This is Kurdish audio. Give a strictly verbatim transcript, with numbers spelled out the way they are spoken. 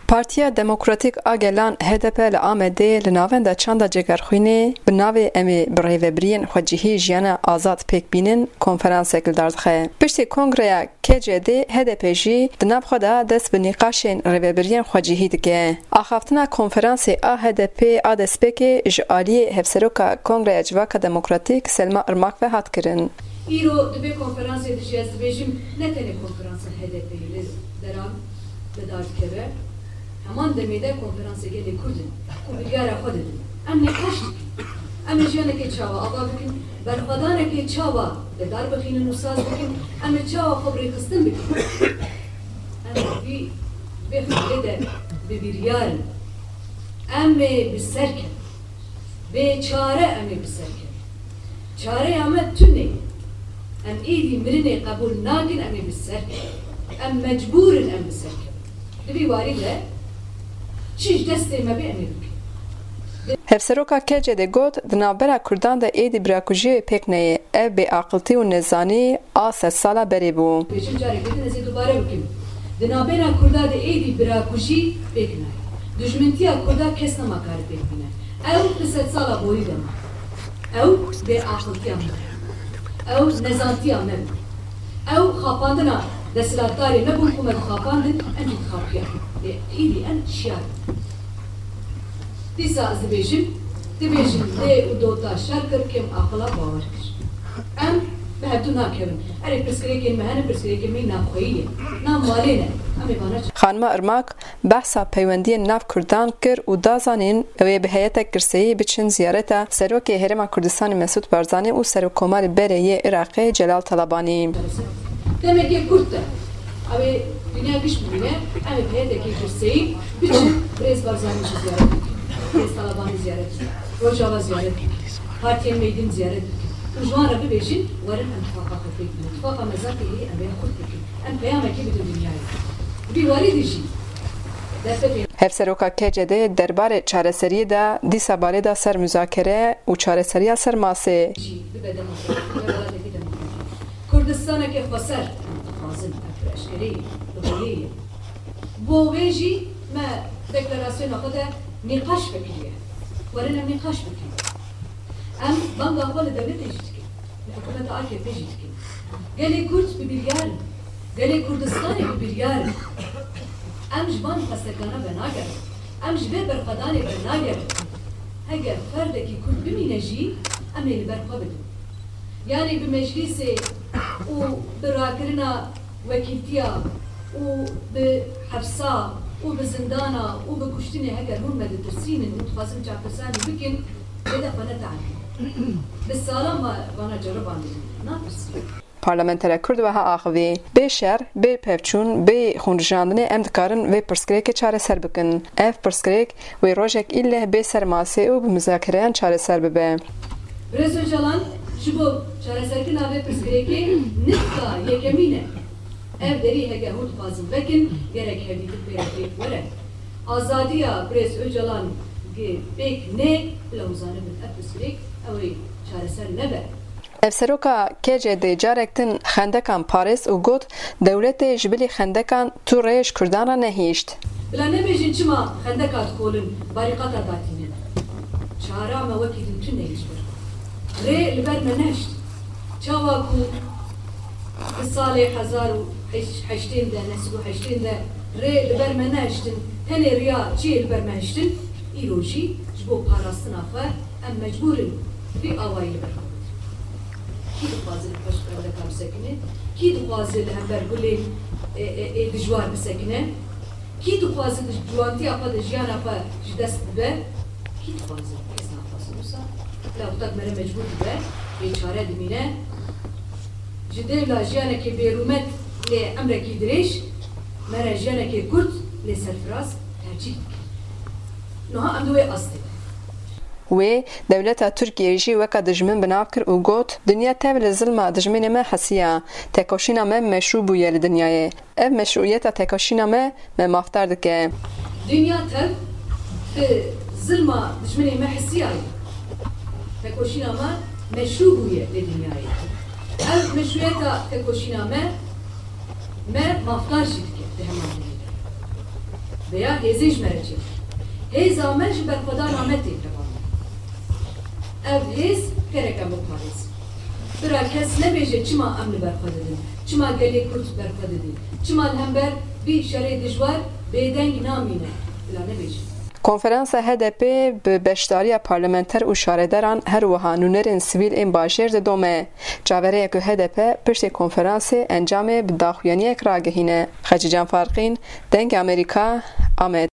Partiya Demokratîk a Gelan, H D P, li Amedê li Navenda Çanda Cegerxwînê bi navê Em ê bi rêvebiriyên xwecihî jiyana azad pêk bînin konferansek li dar dixe. Piştî kongreya K C D, H D P jî di nav xwe de dest bi nîqaşên rêvebiriyên xwecihî dike. Axaftina konferansê a H D P a destpêkê ji aliyê Hevseroka Kongreya Civaka Demokratîk Selma Irmak ve hat kirin. Îro di vê konferansê de jî ez dibêjim, ne tenê konferansa H D P li deran li dar dikeve, heman demê de konferansê gelê Kurd in ku biryara xwe didin. Em nîqaş dikin. Em ê jiyanekê çawa ava bikin, berxwedanekê çawa li dar bixînin û saz bikin, em ê çawa xwe bi rêxistin bikin. Em ê vî, vê xalê de bi biryar in. Em ê bi ser kevin. Bê çare em ê bi ser kevin. Çareya me tune ye. Em êdî mirinê qebûl nakin, em ê bi ser kevin. Em mecbûr in em bi ser kevin. Di vî warî de çi ji destê me bê em ê bikin. Hevseroka K C D got, di navbera Kurdan de êdî birakujiyê pêk neyê. Ev bêaqiltî û nezanî a sedsala berê bû. Dibêjim careke din ez ê dubare bikim. Di navbera Kurda de êdî birakujî pêk nayê. Dijmintiya Kurda kes nema kare pêk bîne. Ew bi sedsala borî de ma. Ew bêaqiltiya me. Ew nezantiya me bû. Ew xapandina desthilatdarê me bûn ku me dixapandin, em jî dixapiyan. Lê êdî em şiyar in. Dîsa ez dibêjim, dibêjin lê û dota şer kir, kêm aqila bawer kir. Em bi hevdû nakevin. Erê pirsgirêkên me hene, pirsgirêkên me navxweyî ye. Nav malê ne. Em ê vana çi? Xanima Irmak behsa peywendiyên nav Kurdan kir û da zanîn, ew ê bi heyetek girseyî biçin ziyareta Serokê Herêma Kurdistanê Mesûd Barzanî û Serokkomarê berê yê Iraqê Celal Talabanî. Demekê kurt de. Ew ê dinya giş bibîne, em ê bi heyetekê girseyî biçin Birêz Barzanî jî ziyaret bikin. Birêz Talabanî ziyaret bikin. Rojava ziyaret bikin. Partiyên me din ziyaret bikin. Û ji wan re bibêjin, werin em tifaqa xwe pêk bînin. Tifaqa me zaf heye, em ê xurt bikin. Em peyamekê bidin dinyayê. Di vî warî de jî derfetê. Hevseroka K C D derbarê çareseriyê de dîsa balê da ser muzakere û çareseriya ser masê. Jî bibe demokratîk, bibe welateke demokratîk. Kurdistaneke xweser dixwazin, ev pir eşkere ye, bi holê ye. Bo wê jî me deklarasyona xwe de nîqaş vekiriye. Werin em nîqaş bikin. Em banga xwe li dewletê jî dikin. Li hikûmeta A K P jî dikin. Gelê Kurd bi biryar in. Gelê Kurdistanê bi biryar in. Em ji van xwestekana venagerin. Em ji vê berxwedanê venagerin. Heger ferdekî Kurd bimîne jî, em ê li ber xwe bidin. Yanî bi meclîsê û bi rakirina wekîltiya û bi hepsa û bi zindana û bi kuştinê heger hûn me ditirsînin û dixwazin çavtirsanî bikin, lê de xwe nete'nînin. Bi salan me vana ceribandin, natirsînin. Parlamentera Kurd wiha axivî, bê şer, bê pevçûn, bê xûnrijandinê em dikarin vê pirsgirêkê çareser bikin. Ev pirsgirêk wê rojek îlleh bê ser masê û bi muzakereyan çareser bibe. Birêz Ocalan ji bo çareserkirina vê pirsgirêkê nifka yekemîn e. Ev derî heke hûn dixwazin vekin, gerek hevdîtin pê re pêk were. Azadiya Birêz Ocalan gi pêk nê, bila hûn zanibin ev pirsgirêk ew ê çareser nebe. Hevseroka K C D carek din xendekan parêz û got, dewletê ji bilî xendekan tu rê ji Kurdan re nehişt. Bila nebêjin çima xendeka dixolin, barîqata datînin. Çara me wekî din tune ye ji ber xwe. Rê li ber me nehişt. Çawa ku di salê hezar û heşt sed û heştên de, neh sed û heştên de rê li ber me nehiştin, tenê riya çiyê li ber me hiştin, îro jî ji bo parastina xwe em mecbûr in vî awayî li ber xwe bikin. Kî dixwaze li pêş xendeka bisekine? Kî dixwaze li hember gulên, e, e, ê dijwar bisekine? Kî dixwaze di ciwantiya xwe de jiyana xwe ji dest bibe? Kî dixwaze? Kes naxwaze. Wisa lewqat me re mecbûr dibe, bêçare dimîne. Ji dêvla jiyanekê bêrûmet lê emrekî dirêj, me re jiyanekê kurt lê serfiraz tercîh dike. Niha em di wê astê de. Wê dewleta Tirkiyeyê jî weka dijmin bi nav kir û got, dinya tev li zilma dijminê me hesiya. Tekoşîna me meşrû bûye li dinyayê. Ev meşrûyeta tekoşîna me, me mafdar dike. Dinya tev bi zilma dijminê me hesiyaye. Tekoşîna me meşrû bûye li dinyayê. Ev meşrûyeta tekoşîna me, me mafdar jî dike di heman demê de. Rêya hêzê ji me re çêke. Hêza me ji berxwedana me tê tevane. Ev hêz gerek em biparêzin. Bira kes nebêje çima em li ber xwe didin, çima gelê Kurd ber xwe didî, çima li hember vî şerê dijwar bêdeng namîne, bila nebêje. Konferansa H D P bi beşdariya parlamenter û şaredaran her wiha nûnerên sivîl ên bajêr didome. Çaverê ye ku H D P piştî konferansê encamê bi daxuyaniyek ragihîne. Xecîcan Farqîn, Dengê Amerîka, Amed.